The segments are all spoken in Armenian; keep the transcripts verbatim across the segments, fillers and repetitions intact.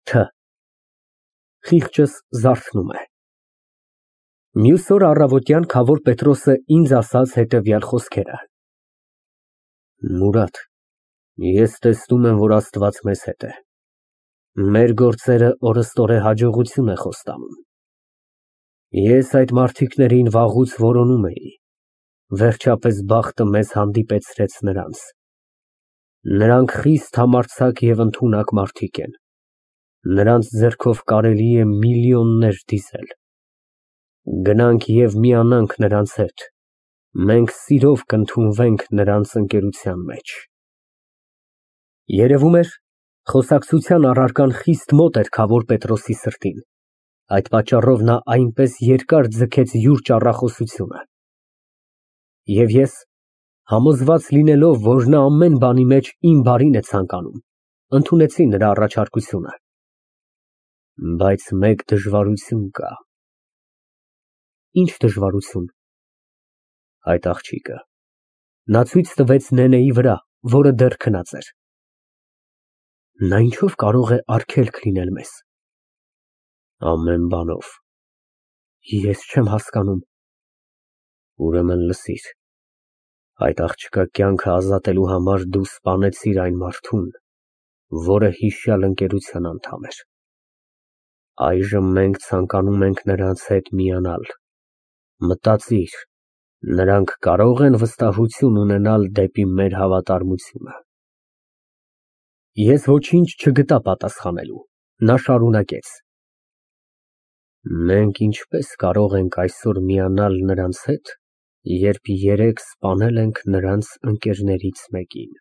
Չ Խիղճս զարթնում է։ Մյուս օր առավոտյան քավոր Պետրոսը ինձ ասաց հետևյալ խոսքերը. Մուրադ, ես տեսնում եմ, որ Աստված մեզ հետ է, մեր գործերը օրըստօրե հաջողություն է խոստանում։ Ես այդ մարդիկներին վաղուց որոնում էի, վերջապես բախտը մեզ հանդիպեցրեց նրանց։ Նրանք խիստ համարձակ և ընդունակ մարդիկ են, նրանց ձեռքով կարելի է միլիոններ դիզել։ Գնանք և միանանք նրանց հետ, մենք սիրով կընդունվենք նրանց ընկերության մեջ։ Երևում էր, խոսակցության առարկան խիստ մոտ էր քավոր Պետրոսի սրտին, այդ պատճառով նա այնպես երկար ձգեց յուր ճառախոսությունը։ Եվ ես, համոզված լինելով, որ նա ամեն բանի մեջ իմ բարին է ցանկանում, ընդունեցի նրա առաջարկությունը։ Բայց մեկ դժվարություն կա։ Ինչ դժվարություն։ Այդ աղջիկը։ Նա ցույց տվեց Նենեի վրա, որը դեռ քնած էր։ Նա ինչով կարող է արգելք լինել մեզ։ Ամեն բանով։ Ես չեմ հասկանում։ Ուրեմն լսիր, այդ աղջկա կյանքը ազատելու համար դու սպանեցիր այն մարդուն, որը հիշյալ ընկերության անդամ էր։ Այժմ մենք ցանկանում ենք նրանց հետ միանալ։ Մտածիր, նրանք կարո՞ղ են վստահություն ունենալ դեպի մեր հավատարմությունը։ Ես ոչինչ չգտա պատասխանելու, նա շարունակեց. Մենք ինչպես կարող ենք այսօր միանալ նրանց հետ, երբ երեկ սպանել ենք նրանց ընկերներից մեկին։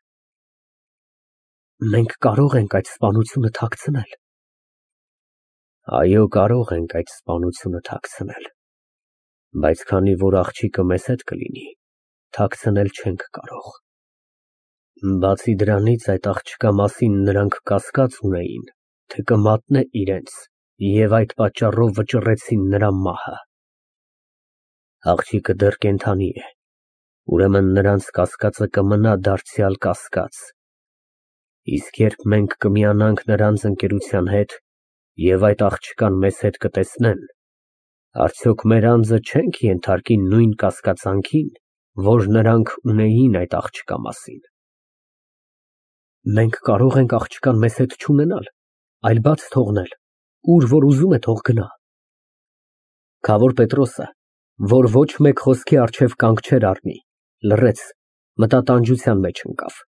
Մենք կարող ենք այդ սպանությունը թաքցնել։ Այո, կարող ենք այդ սպանությունը թաքցնել, բայց քանի որ աղջիկը մեզ հետ կլինի, թաքցնել չենք կարող։ Բացի դրանից, այդ աղջկա մասին նրանք կասկած ունեին, թե կմատնե իրենց, և այդ պատճառով վճռեցին նրա մահը։ Աղջիկը դեռ կենդանի է, ուրեմն նրանց կասկածը կմնա դարձյալ կասկած։ Իսկ երբ մենք կմիանանք նրանց ընկերության հետ և այդ աղջկան մեզ հետ կտեսնեն, արդյոք մեր անձը չենք ենթարկի նույն կասկածանքին, որ նրանք ունեին այդ աղջկա մասին։ Մենք կարող ենք աղջկան մեզ հետ չունենալ, այլ բաց թողնել, ուր որ ուզում է թող գնա։ Քավոր Պետրոսը, որ ոչ մեկ խոսքի առջև կանգ չէր առնի, լռեց, մտատանջության մեջ ընկավ։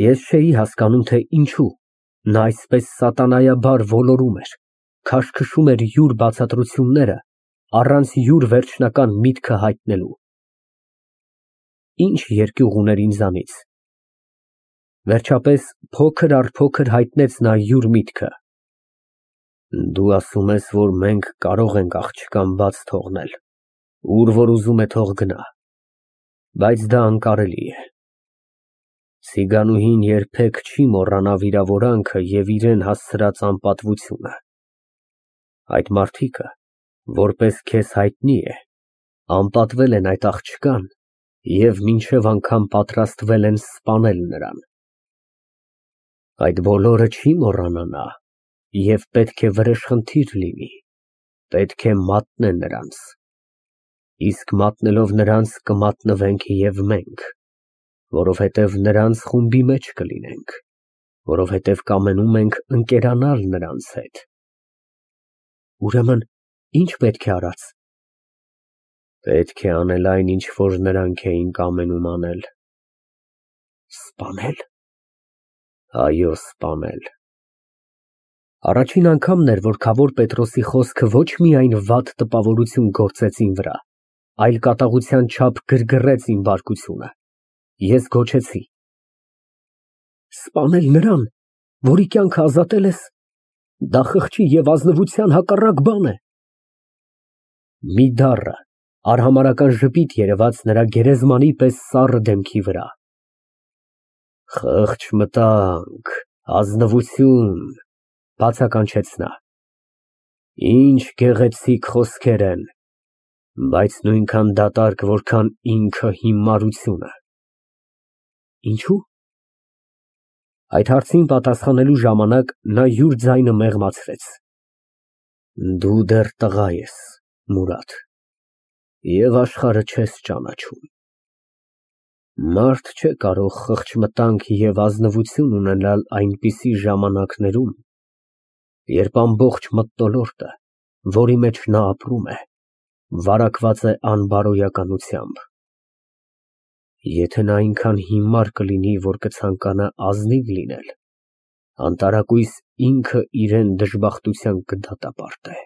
Ես չէի հասկանում, թե ինչու նա այսպես սատանայաբար ոլորում էր, քաշքշում էր յուր բացատրությունները, առանց յուր վերջնական միտքը հայտնելու։ Ինչ երկյուղ ուներ ինձանից։ Վերջապես փոքր առ փոքր հայտնեց նա յուր միտքը։ Դու ասում ես, որ մենք կարող ենք աղջկան բաց թողնել, ուր որ ուզում է թող գնա, բայց դա անկարելի է։ Ցիգանուհին երբեք չի մոռանա վիրավորանքը և իրան հասցրած անպատվությունը։ Այդ մարդիկը, որպես քեզ հայտնի է, անպատվել են այդ աղջկան և մինչև անգամ պատրաստվել են սպանել նրան։ Այդ բոլորը չի մոռանա նա և պետք է վրեժխնդիր լինի, պետք է մատնե նրանց։ Իսկ մատնելով նրանց կմատնվենք և մենք, որովհետև նրանց խումբի մեջ կլինենք, որովհետև կամենում ենք ընկերանալ նրանց հետ։ Ուրեմն ի՞նչ պետք է արած։ Պետք է անել այն, ինչ որ նրանք էին կամենում անել։ Սպանել։ Այո, սպանել։ Առաջին անգամն էր, որ քավոր Պետրոսի խոսքը ոչ միայն վատ տպավորություն գործեց իմ վրա, այլ կատաղության չափ գրգռեց իմ բարկությունը։ Ես գոչեցի. Սպանել նրան, որի կյանքը ազատել ես, դա խղճի և ազնվության հակառակ բան է։ Մի դառը, արհամարհական ժպիտ երևաց նրա գերեզմանի պես սառը դեմքի վրա։ Խղճ մտանք, ազնվություն, բացականչեց նա։ Ինչ գեղեցիկ խոսքեր են, բայց նույնքան դատարկ, որքան ինքը հիմարությունը։ Ինչո՞ւ։ Այդ հարցին պատասխանելու ժամանակ նա յուր ձայնը մեղմացրեց. Դու դեռ տղա ես, Մուրադ, և աշխարհը չես ճանաչում։ Մարդ չէ կարող խղճմտանք և ազնվություն ունենալ այնպիսի ժամանակներում, երբ ամբողջ մթնոլորտը, որի մեջ նա ապրում է, վարակված է անբարոյականությամբ։ Եթե նա այնքան հիմար կլինի, որ կցանկանա ազնիվ լինել, անտարակույս ինքը իրան դժբախտության կդատապարտե։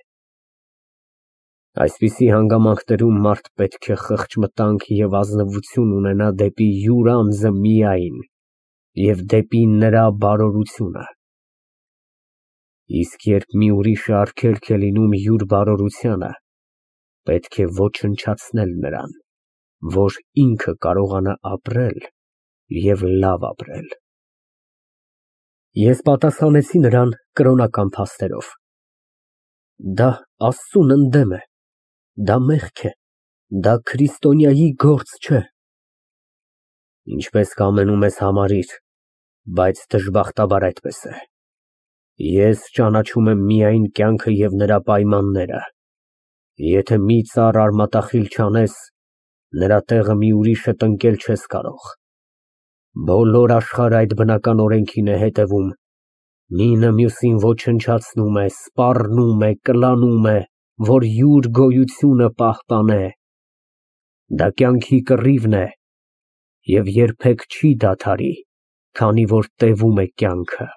Այսպիսի հանգամանքներում մարդ պետք է խղճմտանք և ազնվություն ունենա դեպի յուր անձը միայն և դեպի նրա բարօրությունը։ Իսկ երբ մի ուրիշը արգելք է լինում յուր բարօրությանը, պետք է ոչնչացնել նրան, որ ինքը կարողանա ապրել և լավ ապրել։ Ես պատասխանեցի նրան կրոնական փաստերով. Դա Աստծուն ընդդեմ է, դա մեղք է, դա քրիստոնյայի գործ չէ։ Ինչպես կամենում ես համարիր, բայց դժբախտաբար այդպես է։ Ես ճանաչում եմ միայն կյանքը և նրա պայմանները։ Եթե մի ծառ արմատախիլ չանես, նրա տեղը մի ուրիշը տնկել չես կարող։ Բոլոր աշխարհը այդ բնական օրենքին է հետևում, մինը մյուսին ոչնչացնում է, սպառնում է, կլանում է, որ յուր գոյությունը պահպանե։ Դա կյանքի կռիվն է և երբեք չի դադարի, քանի որ տևում է կյանքը։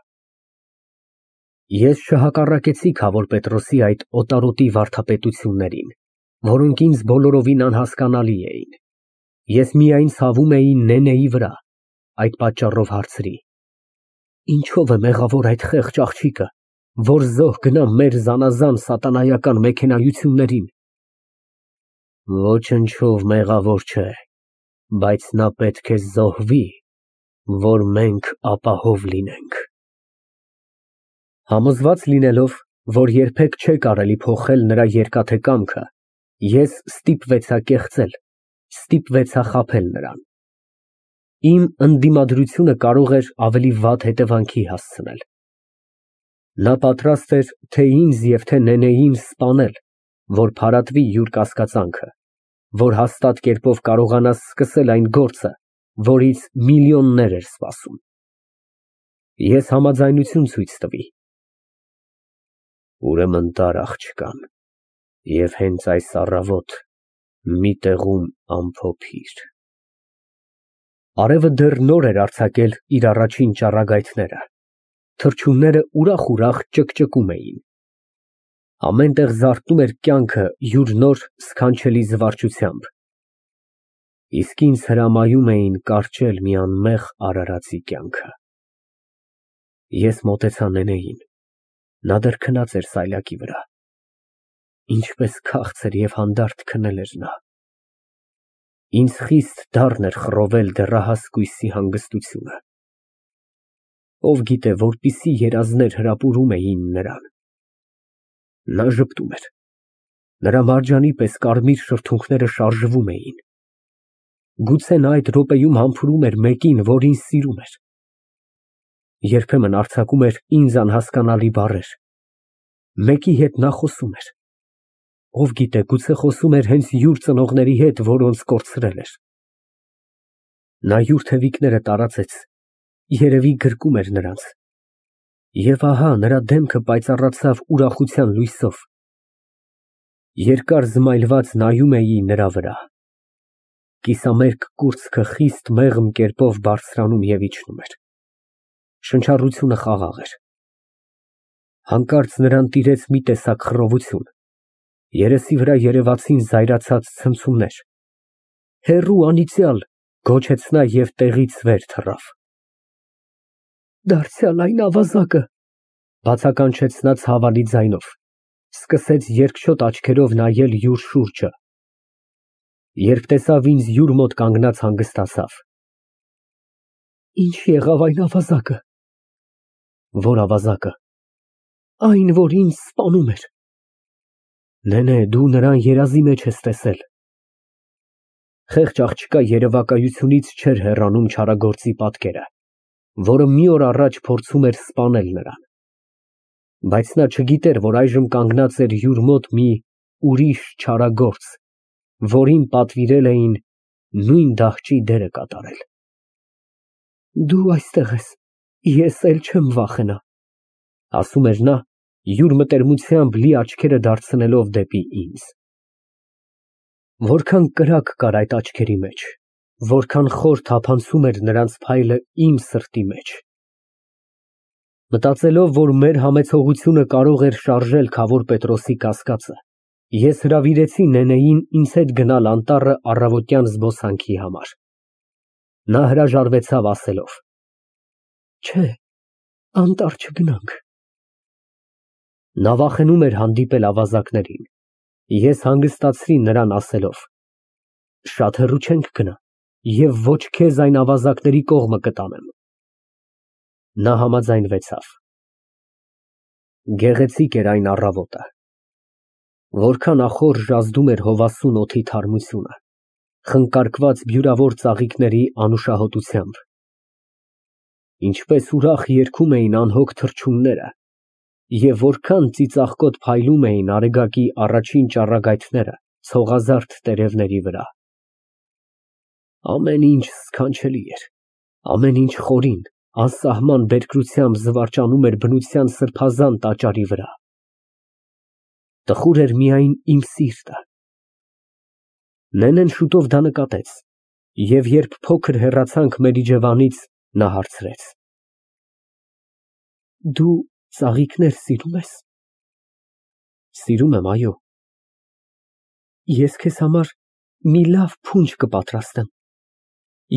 Ես չհակառակեցի Քավոր Պետրոսի այդ օտարոտի վարդապետություններին, որոնք ինձ բոլորովին անհասկանալի էին։ Ես միայն ցավում էի Նենեի վրա, այդ պատճառով հարցրի. Ինչո՞վ է մեղավոր այդ խեղճ աղջիկը, որ զոհ գնա մեր զանազան սատանայական մեքենայություններին։ Ոչնչով մեղավոր չէ, բայց նա պետք է զոհվի, որ մենք ապահով լինենք։ Համոզված լինելով, որ երբեք չէ կարելի փոխել նրա երկաթե կամքը, ես ստիպվեցա կեղծել, ստիպվեցա խաբել նրան։ Իմ ընդդիմադրությունը կարող էր ավելի վատ հետևանքի հասցնել։ Նա պատրաստ էր թե ինձ և թե Նենեին սպանել, որ փարատվի յուր կասկածանքը, որ հաստատ կերպով կարողանա սկսել այն գործը, որից միլիոններ էր սպասում։ Ես համաձայնություն ցույց տվի։ Ուրեմն տար աղջկան և հենց այս առավոտ մի տեղում ամփոփիր։ Արևը դեռ նոր էր արձակել իր առաջին ճառագայթները, թռչունները ուրախ֊ուրախ ճկճկում էին։ Ամեն տեղ զարթնում էր կյանքը յուր նոր սքանչելի զվարճությամբ, իսկ ինձ հրամայում էին կարճել մի անմեղ արարածի կյանքը։ Ես մոտեցա Նենեին, նա դեռ քնած էր սայլակի վրա։ Ինչպես քաղցր և հանդարտ քնել էր նա։ Ինձ խիստ դառն էր խռովել դեռահաս կույսի հանգստությունը։ Ով գիտե որպիսի երազներ հրապուրում էին նրան։ Նա ժպտում էր, նրա մարջանի պես կարմիր շրթունքները շարժվում էին։ Գուցե նա այդ րոպեում համբուրում էր մեկին, որ ինձ սիրում էր։ Երբեմն արձակում էր ինձ անհասկանալի բառեր։ Մեկի հետ նա խոսում էր։ Ով գիտե, գուցե խոսում էր հենց յուր ծնողների հետ, որոնց կորցրել էր։ Նա յուր թևիկները տարածեց, երևի գրկում էր նրանց։ Եվ ահա նրա դեմքը պայծառացավ ուրախության լույսով։ Երկար զմայլված նայում էի նրա վրա։ Կիսամերկ կուրծքը խիստ մեղմ կերպով բարձրանում և իջնում էր։ Շնչառությունը խաղաղ էր։ Հանկարծ նրան տիրեց մի տեսակ խռովություն, երեսի վրա երևացին զայրացած ցնցումներ։ Հեռու անիծյալ, գոչեց նա և տեղից վեր թռավ։ Դարձյալ այն ավազակը, բացականչեց նա ցավալի ձայնով, սկսեց երկչոտ աչքերով նայել յուր շուրջը։ Երբ տեսավ ինձ յուր մոտ կանգնած, հանգստացավ։ Ինչ եղավ այն ավազակը։ Որ ավազակը։ Այն, որ ինձ սպանում էր։ Նենե, դու նրան երազի մեջ ես տեսել։ Խեղճ աղջկա երևակայությունից չէր հեռանում չարագործի պատկերը։ որը մի օր առաջ փորձում էր սպանել նրան։ Բայց նա չգիտեր, որ այժմ կանգնած էր յուր մոտ մի ուրիշ չարագործ, որին պատվիրել էին նույն դահճի դերը կատարել։ Դու այստեղ ես, ես էլ չեմ վախենա, ասում էր նա, յուր մտերմությամբ լի աչքերը դարձնելով դեպի ինձ։ Որքան կրակ կար այդ աչքերի մեջ, որքան խոր թափանցում էր նրանց փայլը իմ սրտի մեջ։ Մտածելով, որ մեր համեցողությունը կարող էր շարժել Քավոր Պետրոսի կասկածը, ես հրավիրեցի նենեին ինձ հետ գնալ անտառը առավոտյան զբոսանքի համար։ Նա հրաժարվեցավ ասելով. Չէ, անտառ չգնանք։ Նա վախենում էր հանդիպել ավազակներին։ Ես հանգստացրի նրան ասելով. Շատ հեռու չենք գնա և ոչ քեզ այն ավազակների կողմը կտանեմ։ Նա համաձայնվեցավ։ Գեղեցիկ էր այն առավոտը։ Որքան ախոր ժազդում էր հովասուն օդի թարմությունը, խնկարկված բյուրավոր ծաղիկների անուշահոտությամբ։ Ինչպես ուրախ երգում էին անհոգ թռչունները, և որքան ծիծաղկոտ փայլում էին արեգակի առաջին ճառագայթները ցողազարդ տերևների վրա։ Ամեն ինչ սքանչելի էր, ամեն ինչ խորին, անսահման բերկրությամբ զվարճանում էր բնության սրբազան տաճարի վրա։ Տխուր էր միայն իմ սիրտը։ Նենեն շուտով դա նկատեց, և երբ փոքր հեռացանք մեր իջևանից, նա հարցրեց. Դու ծաղիկներ սիրում ես։ Սիրում եմ, այո։ Ես քեզ համար մի լավ փունջ կպատրաստեմ։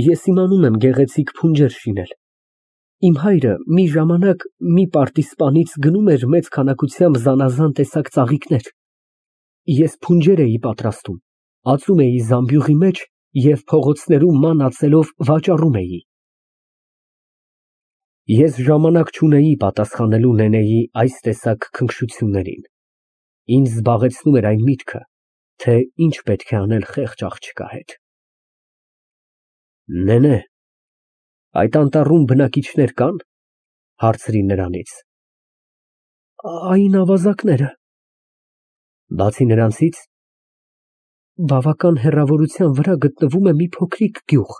Ես իմանում եմ գեղեցիկ փունջեր շինել։ Իմ հայրը մի ժամանակ մի պարտիզպանից գնում էր մեծ քանակությամբ զանազան տեսակ ծաղիկներ։ Ես փունջեր էի պատրաստում, ածում էի զամբյուղի մեջ և փողոցներում ման ածելով վաճառում էի։ Ես ժամանակ չունեի պատասխանելու նենեի այս տեսակ քնքշություններին։ Ինձ զբաղեցնում էր այն միտքը, թե ինչ պետք է անել խեղճ աղջկա հետ։ Նենե, այդ անտառում բնակիչներ կա՞ն, հարցրի նրանից։ Այն ավազակները։ Բացի նրանցից, բավական հեռավորության վրա գտնվում է մի փոքրիկ գյուղ։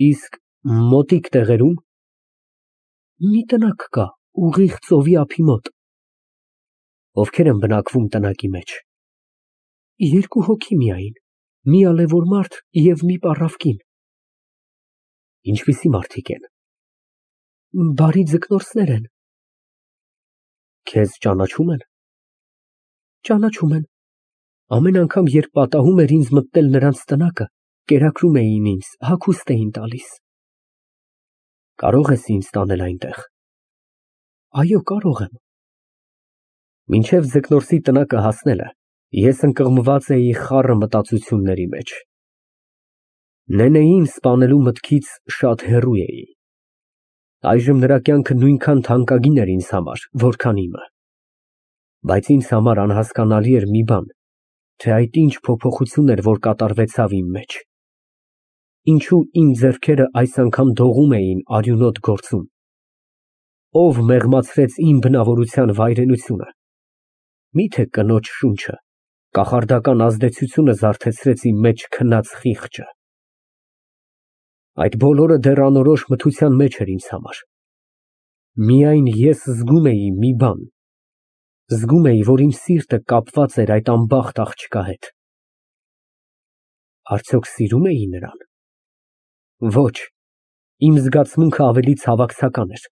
Իսկ մոտիկ տեղերում։ Մի տնակ կա, ուղիղ ծովի ափի մոտ։ Ովքեր են բնակվում տնակի մեջ։ Երկու հոգի միայն, մի ալևոր մարդ և մի պառավ կին։ Ինչպիսի մարդիկ են։ Բարի ձկնորսներ են։ Քեզ ճանաչո՞ւմ են։ Ճանաչում են։ Ամեն անգամ, երբ պատահում էր ինձ մտնել նրանց տնակը, կերակրում էին ինձ, հագուստ էին տալիս։ Կարո՞ղ ես ինձ տանել այնտեղ։ Այո, կարող եմ։ Մինչև ձկնորսի տնակը հասնելը, ես ընկղմված էի խառը մտածությունների մեջ։ Նենեին սպանելու մտքից շատ հեռու էի։ Այժմ նրա կյանքը նույնքան թանկագին էր ինձ համար, որքան իմը։ Բայց ինձ համար անհասկանալի էր մի բան, թե այդ ինչ փոփոխություն էր, որ կատարվեցավ իմ մեջ։ Ինչու իմ ձեռքերը այս անգամ դողում էին արյունոտ գործում։ Ով մեղմացրեց իմ բնավորության վայրենությունը։ Միթե կնոջ շունչը, կախարդական ազդեցությունը զարթեցրեց իմ մեջ քնած խիղճը։ Այդ բոլորը դեռ անորոշ մթության մեջ էր ինձ համար։ Միայն ես զգում էի մի բան, զգում էի, որ իմ սիրտը կապված էր այդ անբախտ աղջկա հետ։ Արդյոք սիրում էի նրան։ Ոչ, իմ զգացմունքը ավելի ցավակցական էր,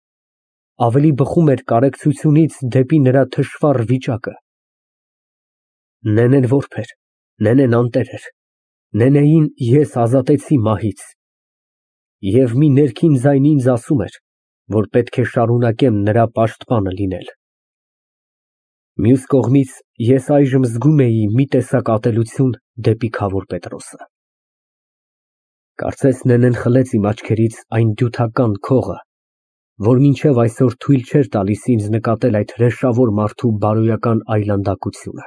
ավելի բխում էր կարեկցությունից դեպի նրա թշվառ վիճակը։ Նենեն որբ էր, նենեն անտեր էր, նենեին ես ազատեցի մահից։ Եվ մի ներքին ձայն ինձ ասում էր, որ պետք է շարունակեմ նրա պաշտպանը լինել։ Մյուս կողմից, ես այժմ զգում էի մի տեսակ ատելություն դեպի Քավոր Պետրոսը։ Կարծես նենեն խլեց իմ աչքերից այն դյութական քողը, որ մինչև այսօր թույլ չէր տալիս ինձ նկատել այդ հրեշավոր մարդու բարոյական այլանդակությունը։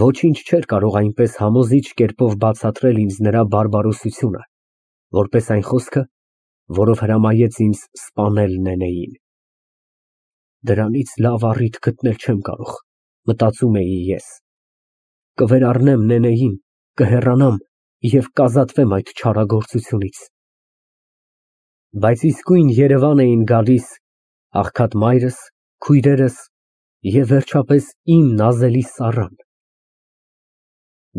Ոչինչ չէր կարող այնպես համոզիչ կերպով բացատրել ինձ նրա բարբարոսությունը, որպես այն խոսքը, որով հրամայեց ինձ սպանել նենեին։ Դրանից լավ առիթ գտնել չեմ կարող, մտածում էի ես։ Կվերառնեմ նենեին, կհեռանամ և կազատվեմ այդ չարագործությունից։ Բայց իսկույն Երևան էին գալիս աղքատ մայրս, քույրերս և վերջապես իմ նազելի Սառան։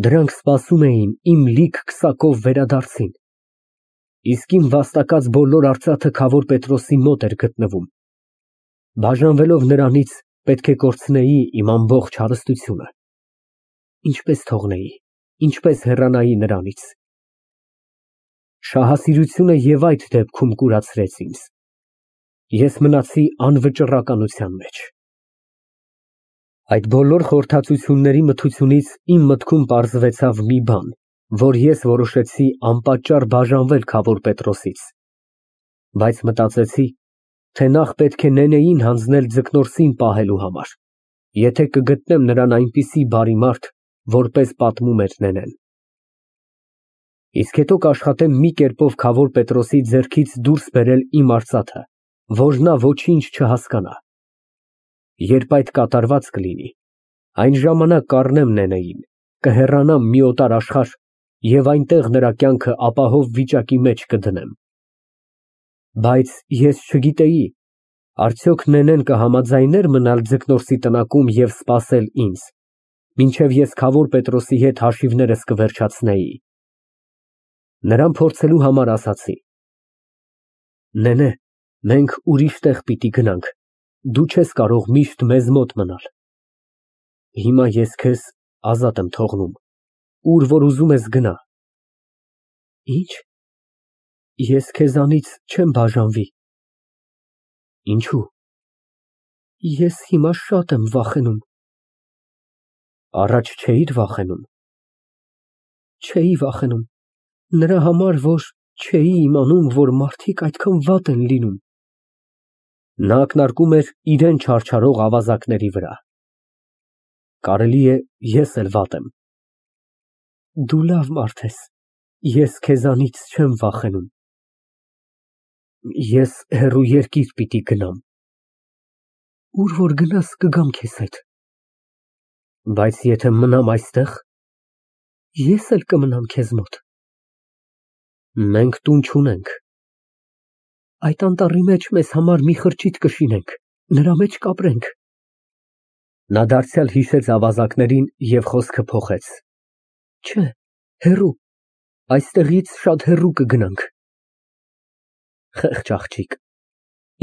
Դրանք սպասում էին իմ լիք քսակով վերադարձին, իսկ իմ վաստակած բոլոր արծաթը քավոր Պետրոսի մոտ էր գտնվում։ Բաժանվելով նրանից, պետք է կորցնեի իմ ամբողջ հարստությունը։ Ինչպես թողնեի, ինչպես հեռանայի նրանից։ Շահասիրությունը և այդ դեպքում կուրացրեց ինձ։ Ես մնացի անվճռականության մեջ։ Այդ բոլոր խորհրդածությունների մթությունից իմ մտքում պարզվեցավ մի բան, որ ես որոշեցի անպատճառ բաժանվել քավոր Պետրոսից, բայց մտածեցի, թե նախ պետք է նենեին հանձնել Ձկնորսին պահելու համար, եթե կգտնեմ նրան այնպիսի բարի մարդ, որպես պատմում էր նենեն։ Իսկ հետո կաշխատեմ մի կերպով քավոր Պետրոսի ձեռքից դուրս բերել իմ արծաթը, որ նա ոչինչ չհասկանա։ Երբ այդ կատարված կլինի, այն ժամանակ կառնեմ նենեին, կհեռանամ մի օտար աշխարհ և այնտեղ նրա կյանքը ապահով վիճակի մեջ կդնեմ։ Բայց ես չգիտեի, արդյոք նենեն կհամաձայնե՞ր մնալ Ձկնորսի տնակում և սպասել ինձ, մինչև ես քավոր Պետրոսի հետ հաշիվներս կվերջացնեի։ Նրան փորձելու համար ասացի. Նենե, մենք ուրիշ տեղ պիտի գնանք, դու չես կարող միշտ մեզ մոտ մնալ։ Հիմա ես քեզ ազատ եմ թողնում, ուր որ ուզում ես գնա։ Ի՞նչ։ Ես քեզանից չեմ բաժանվի։ Ինչո՞ւ։ Ես հիմա շատ եմ վախենում։ Առաջ չէիր վախենում։ Չէի վախենում, նրա համար, որ չէի իմանում, որ մարդիկ այդքան վատ են լինում։ Նա ակնարկում էր իրան չարչարող ավազակների վրա։ Կարելի է, ես էլ վատ եմ։ Դու լավ մարդ ես, ես քեզանից չեմ վախենում։ Ես հեռու երկիր պիտի գնամ։ Ուր որ գնաս, կգամ քեզ հետ։ Բայց եթե մնամ այստեղ, ես էլ կմնամ քեզ մոտ։ Մենք տուն չունենք։ Այդ անտառի մեջ մեզ համար մի խրճիթ կշինենք, նրա մեջ կապրենք։ Նա դարձյալ հիշեց ավազակներին և խոսքը փոխեց։ Չէ, հեռու, այստեղից շատ հեռու կգնանք։ Խեղճ աղջիկ,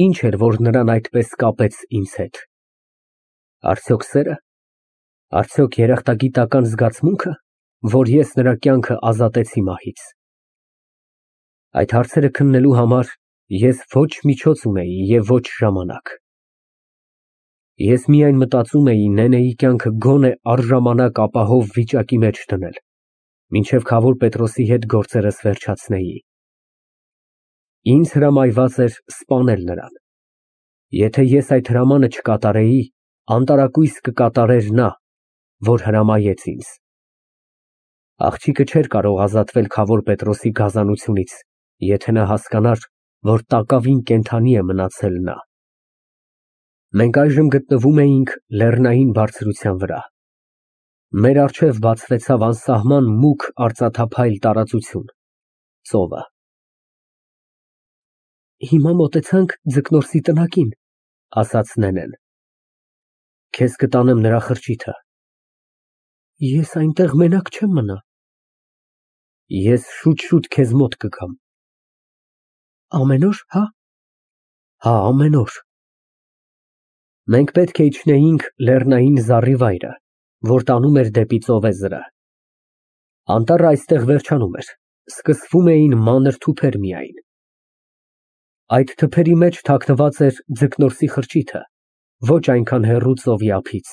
ինչ էր, որ նրան այդպես կապեց ինձ հետ։ Արդյոք սե՞րը, արդյոք երախտագիտական զգացմունքը, որ ես նրա կյանքը ազատեցի մահից։ Այդ հարցերը քննելու համար ես ոչ միջոց ունեի և ոչ ժամանակ։ Ես միայն մտածում էի նենեի կյանքը գոնե առժամանակ ապահով վիճակի մեջ դնել, մինչև քավոր Պետրոսի հետ գործերս վերջացնեի։ Ինձ հրամայված էր սպանել նրան։ Եթե ես այդ հրամանը չկատարեի, անտարակույս կկատարեր նա, որ հրամայեց ինձ։ Աղջիկը չէր կարող ազատվել քավոր Պետրոսի գազանությունից, եթե նա հասկանար, որ տակավին կենդանի է մնացել նա։ Մենք այժմ գտնվում էինք լեռնային բարձրության վրա։ Մեր առջև բացվեցավ անսահման մուգ արծաթափայլ տարածություն, ծովը։ Հիմա մոտեցանք Ձկնորսի տնակին, ասաց նենեն։ Քեզ կտանեմ նրա խրճիթը։ Ես այնտեղ մենակ չեմ մնա։ Ես շուտ-շուտ քեզ մոտ կգամ։ Ամեն օր, հա։ Հա, ամեն օր։ Մենք պետք է իջնեինք լեռնային զառիվայրը, որ տանում էր դեպի ծովեզրը։ Անտառը այստեղ վերջանում էր, սկսվում էին մանր թուփեր միայն։ Այդ թփերի մեջ թաքնված էր Ձկնորսի խրճիթը, ոչ այնքան հեռու ծովի ափից։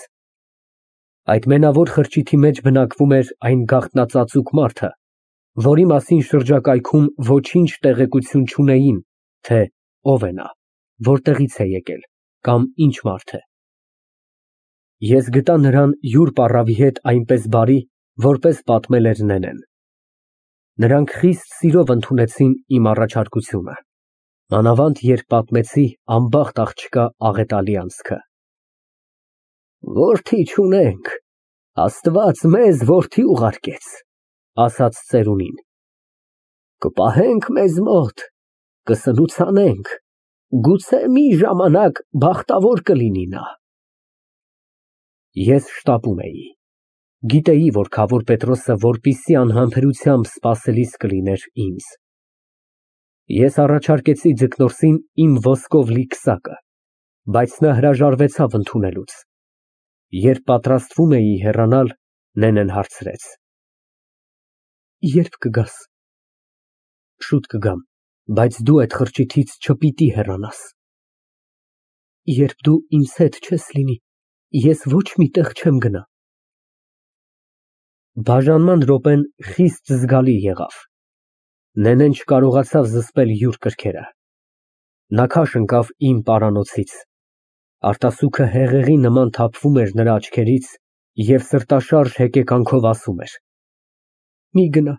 Այդ մենավոր խրճիթի մեջ բնակվում էր այն գաղտնածածուկ մարդը, որի մասին շրջակայքում ոչինչ տեղեկություն չունեին, թե ով է նա, որտեղից է եկել կամ ինչ մարդ է։ Ես գտա նրան յուր պառավի հետ այնպես բարի, որպես պատմել էր նենեն։ Նրանք խիստ սիրով ընդունեցին իմ առաջարկությունը։ Մանավանդ երբ պատմեցի անբախտ աղջկա աղետալի անցքը։ Որդի չունենք, Աստված մեզ որդի ուղարկեց, ասաց ծերունին, կպահենք մեզ մոտ, կսնուցանենք, գուցե մի ժամանակ բախտավոր կլինի նա։ Ես շտապում էի, գիտեի, որ քավոր Պետրոսը որպիսի անհամբերությամբ սպասելիս կլիներ ինձ։ Ես առաջարկեցի Ձկնորսին իմ ոսկով լի քսակը, բայց նա հրաժարվեցավ ընդունելուց։ Երբ պատրաստվում էի հեռանալ, Նենեն հարցրեց. Երբ կգաս։ Շուտ կգամ, բայց դու այդ խրճիթից չպիտի հեռանաս։ Երբ դու ինձ հետ չես լինի, ես ոչ մի տեղ չեմ գնա։ Բաժանման րոպեն խիստ զգալի եղավ։ Նենեն չկարողացավ զսպել յուր կրքերը։ Նա քաշ ընկավ իմ պարանոցից։ Արտասուքը հեղեղի նման թափվում էր նրա աչքերից և սրտաշարժ հեկեկանքով ասում էր. Մի գնա,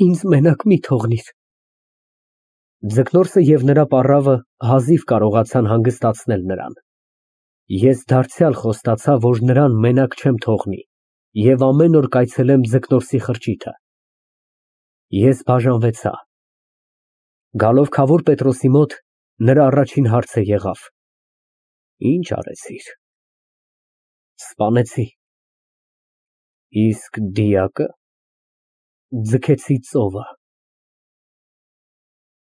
ինձ մենակ մի թողնիր։ Ձկնորսը և նրա պառավը հազիվ կարողացան հանգստացնել նրան։ Ես դարձյալ խոստացա, որ նրան մենակ չեմ թողնի և ամեն օր կայցելեմ Ձկնորսի խրճիթը։ Ես բաժանվեցա։ Գալով քավոր Պետրոսի մոտ, նրա առաջին հարցը եղավ. Ինչ արեցիր։ Սպանեցի։ Իսկ դիակը։ Ձգեցի ծովը։